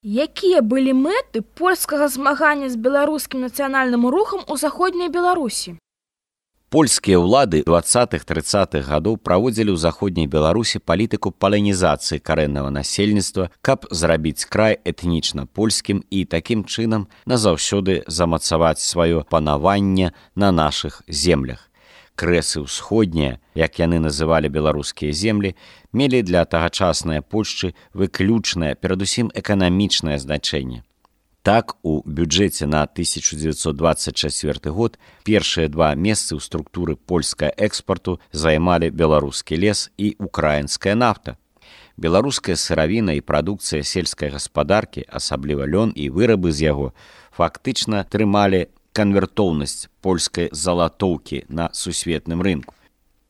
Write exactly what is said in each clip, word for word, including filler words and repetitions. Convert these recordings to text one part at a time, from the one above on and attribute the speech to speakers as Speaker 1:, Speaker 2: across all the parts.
Speaker 1: Якія былі мэты польскага змагання з беларускім нацыянальным рухам у заходняй Беларусі?
Speaker 2: Польскія ўлады дваццатых-трыццатых гадоў праводзілі ў заходняй Беларусі палітыку паланізацыі карэннага насельніцтва, каб зрабіць край этнічна польскім і такім чынам назаўсёды замацаваць сваё панаванне на нашых землях. Крэсы ўсходнія, як яны называлі беларускія землі, мелі для тагачаснай Польшчы выключнае, перадусім эканамічнае значэнне. Так, у бюджэце на тысяча дзевяцьсот дваццаць чацвёрты год першыя два месцы ў структуры польскага экспарту займалі беларускі лес і украінская нафта. Беларуская сыравіна і прадукцыя сельскай гаспадаркі, асабліва лён і вырабы з яго, фактычна трымалі канвертоўнасць польскай залатоўкі на сусветным рынку.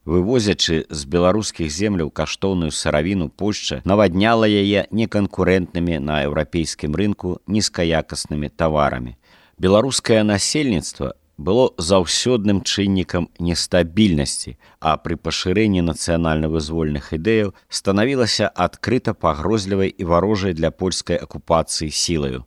Speaker 2: Вывозячы з беларускіх земляў каштоўную сыравіну, Польшча навадняла яе неканкурэнтнымі на еўрапейскім рынку нізкаякаснымі таварамі. Беларускае насельніцтва было заўсёдным чыннікам нестабільнасці, а пры пашырэнні нацыянальна-вызвольных ідэяў станавілася адкрыта пагрозлівай і варожай для польскай акупацыі сілаю.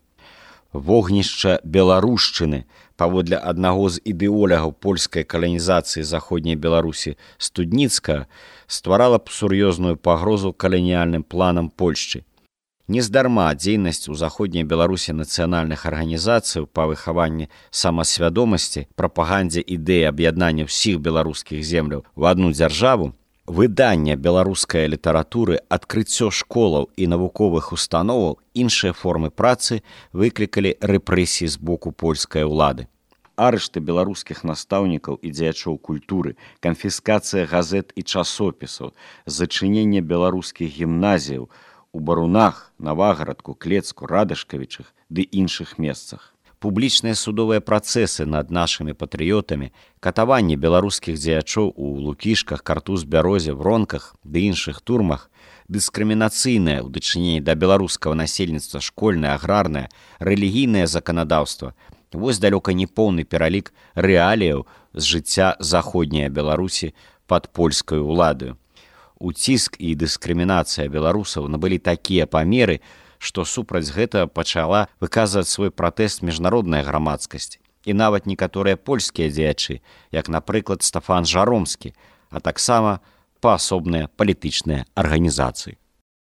Speaker 2: Вогнішча беларушчыны, паводле аднаго з ідэолягаў польскай каланізацыі заходняй Беларусі Студніцкага, стварала б сур'ёзную пагрозу каланіяльным планам Польшчы. Нездарма дзейнасць у заходняй Беларусі нацыянальных арганізацыяў па выхаванні самасвядомасці, прапагандзе ідэі аб'яднання ўсіх беларускіх земляў у адну дзяржаву, выданне беларускай літаратуры, адкрыццё школаў і навуковых установаў, іншыя формы працы выклікалі рэпрэсіі з боку польскай улады. Арышты беларускіх настаўнікаў і дзеячоў культуры, канфіскацыя газет і часопісаў, зачыненне беларускіх гімназіяў у Барунах, Навагарадку, Клецку, Радашкавічах ды іншых месцах. Публічныя судовыя працэсы над нашымі патрыётамі, катаванне беларускіх дзеячоў у Лукішках, Картуз-Бярозе, Вронках ды іншых турмах, дыскрымінацыйнае ў дачыненні да беларускага насельніцтва школьнае, аграрнае, рэлігійнае заканадаўства. Вось далёка не поўны пералік рэаліяў з жыцця заходняй Беларусі пад польскай уладаю. Уціск і дыскрымінацыя беларусаў набылі такія памеры, што супраць гэтага пачала выказваць свой пратэст міжнародная грамадскасць і нават некаторыя польскія дзеячы, як, напрыклад, Стафан Жаромскі, а таксама паасобныя палітычныя арганізацыі.